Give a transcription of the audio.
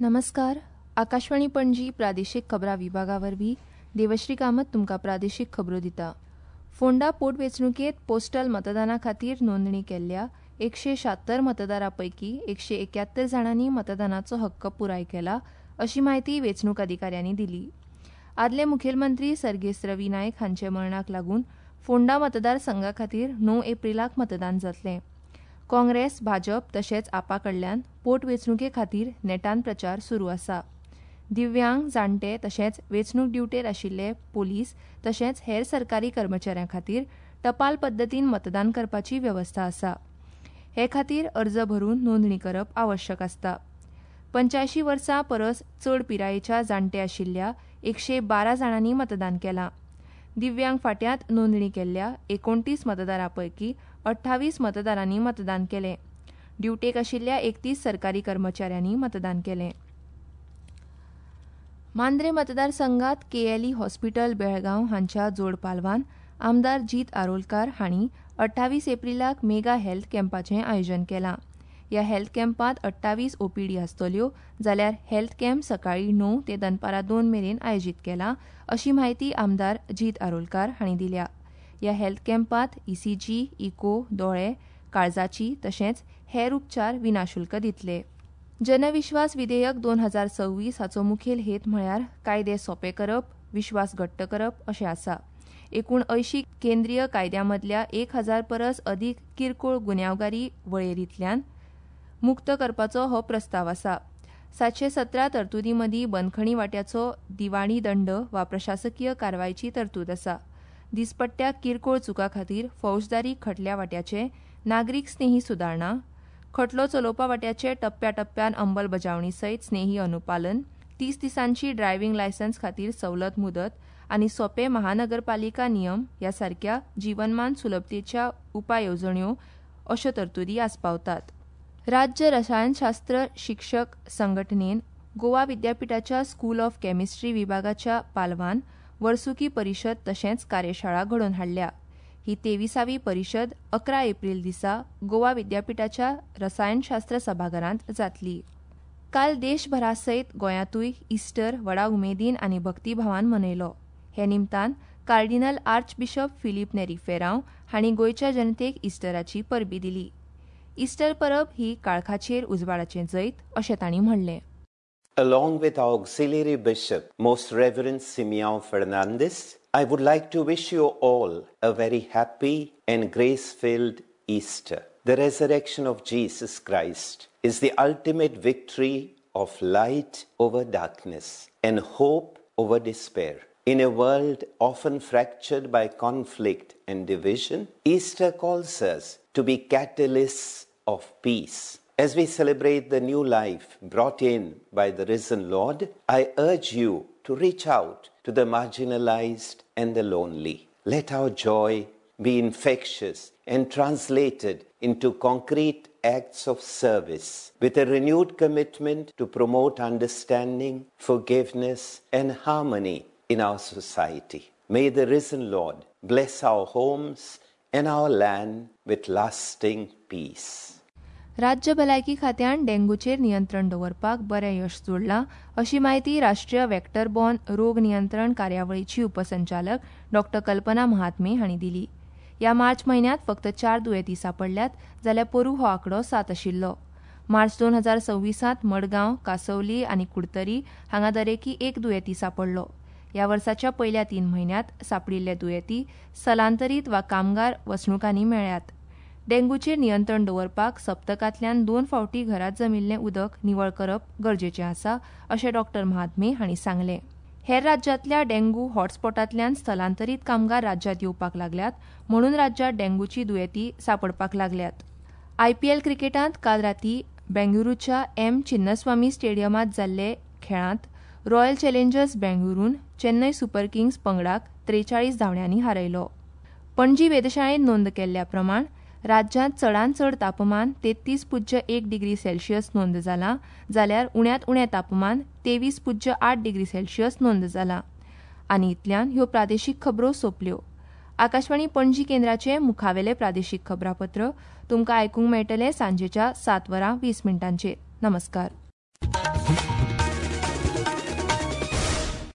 नमस्कार. आकाशवाणी पणजी प्रादेशीक खबरां विभागा वरवीं देवश्री कामत तुमकां प्रादेशीक खबरो दिता. फोंडा पोटवेंचणुकेंत पोस्टल मतदाना खातीर नोंदणी केल्ल्या 176 मतदारां पैकीं 171 जाणांनी मतदानाचो हक्क पुराय केला अशी म्हायती वेंचणूक अधिकाऱ्यांनी दिली. आदले मुखेलमंत्री सर्गेस्त रवी नायक हांचे मरणाक लागून फोंडा मतदारसंघा खातीर 9 एप्रीलाक मतदान जातलें. काँग्रेस, भाजप तशेंच आपा कडल्यान पोटवेंचणुके खातीर नेटान प्रचार सुरू आसा. दिव्यांग, जाणटे तशेंच वेंचणूक ड्युटेर आशिल्ले पोलीस तशेंच हेर सरकारी कर्मचाऱ्यां खातीर टपाल पद्दतीन मतदान करपाची वेवस्था आसा. हे खातीर अर्ज भरून नोंदणी करप आवश्यक आसता. 85 वर्सां परस चड पिरायेच्या जाणटे आशिल्ल्या 112 जाणांनी मतदान केलां. दिव्यांग फांट्यांत नोंदणी केल्ल्या 29 मतदारां पैकी 28 मतदारांनी मतदान केलें. ड्युटेक आशिल्ल्या 31 सरकारी कर्मचाऱ्यांनी मतदान केलें. मांद्रे मतदारसंघात केएलई हॉस्पिटल बेळगांव हांच्या जोड पालवान आमदार जीत आरोलकार हांणी 28 एप्रीलाक मेगा हेल्थ कॅम्पाचें आयोजन केलां. ह्या हेल्थ कॅम्पांत 28 ओपीडी आसतल्यो, जाल्यार हेल्थ कॅम्प सकाळीं 9 ते दनपारां 2 मेरेन आयोजीत केला अशी म्हायती आमदार जीत आरोलकार हांणी दिल्या. ह्या हेल्थ कॅम्पांत ईसीजी, इको, दोळे, काळजाची तशेंच हेर उपचार विनाशुल्क दितले. जनविश्वास विधेयक 2026 हाचो मुखेल हेत म्हळ्यार कायदे सोपे करप, विश्वास घट्ट करप अशें आसा. एकूण 80 केंद्रीय कायद्यां मदल्या 1000 परस अदीक किरकोळ गुन्यांवगारी वळेरींतल्यान मुक्त करपाचो हो प्रस्ताव आसा. 717 तरतुदीं मदीं बंदखणी वांट्याचो दिवाणी दंड वा प्रशासकीय कारवायची तरतूद आसा. दिसपट्ट्या किरकोळ चुकां खातीर फौजदारी खटल्या वांट्याचे नागरीक स्नेही सुदारणा, खटलो चलोवपा वांट्याचे टप्प्याटप्प्यान अंमलबजावणी सयत स्नेही अनुपालन, 30 दिसांची ड्रायव्हिंग लायसन्स खातीर सवलत मुदत आनी सोपे महानगरपालिका नियम ह्या सारक्या जीवनमान सुलभतेच्या उपाय येवजण्यो अश्यो तरतुदी आस्पावतात. राज्य रसायनशास्त्र शिक्षक संघटनेन गोवा विद्यापीठाच्या स्कूल ऑफ केमिस्ट्री विभागाच्या पालवान वर्सुकी परिशद तशेंच कार्यशाळा घडोवन हाडल्या. ही 23वी परिशद 11 एप्रील दिसा गोवा विद्यापीठाच्या रसायनशास्त्र सभाघरांत जातली. काल देशभरा सयत गोंयांतूय इस्टर व्हडा उमेदीन आनी भक्तीभावान मनयलो. हे निमतान कार्डिनल आर्चबिशप फिलीप नेरी फेरांव हांणी गोंयच्या जनतेक इस्टराची परबी दिली. इस्टर परब ही काळखाचेर उजवाडाचें जैत अशें तांणी म्हणलें. Along with our auxiliary bishop, Most Reverend Simeon Fernandez, I would like to wish you all a very happy and grace-filled Easter. The resurrection of Jesus Christ is the ultimate victory of light over darkness and hope over despair. In a world often fractured by conflict and division, Easter calls us to be catalysts of peace. As we celebrate the new life brought in by the risen Lord, I urge you to reach out to the marginalized and the lonely. Let our joy be infectious and translated into concrete acts of service with a renewed commitment to promote understanding, forgiveness, and harmony in our society. May the risen Lord bless our homes and our land with lasting peace. राज्य भलायकी खात्यान डेंग्यूचेर नियंत्रण दवरपाक बरें यश जोडलां अशी म्हायती राष्ट्रीय vector borne रोग नियंत्रण कार्यावळीची उपसंचालक डॉ कल्पना महात्मे हांणी दिली. ह्या मार्च म्हयन्यांत फक्त 4 दुयेंती सांपडल्यात, जाल्यार पोरूं हो आंकडो 7 आशिल्लो. मार्च 2026 मडगांव, कांसवली आनी कुडतरी हांगा दरेकी 1 दुयेंती सांपडलो. ह्या वर्साच्या पयल्या 3 म्हयन्यांत सांपडिल्ले दुयेंती स्थलांतरीत वा कामगार वसणुकांनी मेळ्ळ्यात. डेंग्यूचेर नियंत्रण दवरपाक सप्तकांतल्यान 2 फावटी घरांत जमिल्लें उदक निवळ करप गरजेचें आसा अशें डॉ महात्मे हांणी सांगलें. हेर राज्यांतल्या डेंग्यू हॉटस्पॉटांतल्यान स्थलांतरीत कामगार राज्यांत येवपाक लागल्यात म्हणून राज्यांत डेंग्यूची दुयेंती सांपडपाक लागल्यात. आयपीएल क्रिकेटांत काल राती बेंगळुरूच्या एम चिन्नस्वामी स्टेडियमांत जाल्ले खेळांत रॉयल चॅलेंजर्स बेंगळुरून चेन्नय सुपर किंग्स पंगडाक 43 धांवड्यांनी हारयलो. पणजी वेधशाळेन नोंद केल्ल्या प्रमाण राज्यांत चडांत चड तापमान 33.1 डिग्री सेल्सियस नोंद जालां, जाल्यार उण्यांत उणें तापमान 23.8 डिग्री सेल्सियस नोंद जालां. आनी इतल्यान ह्यो प्रादेशीक खबरो सोंपल्यो. आकाशवाणी पणजी केंद्राचें मुखावेलें प्रादेशीक खबरापत्र तुमकां आयकूंक मेळटलें सांजेच्या 7:20. नमस्कार.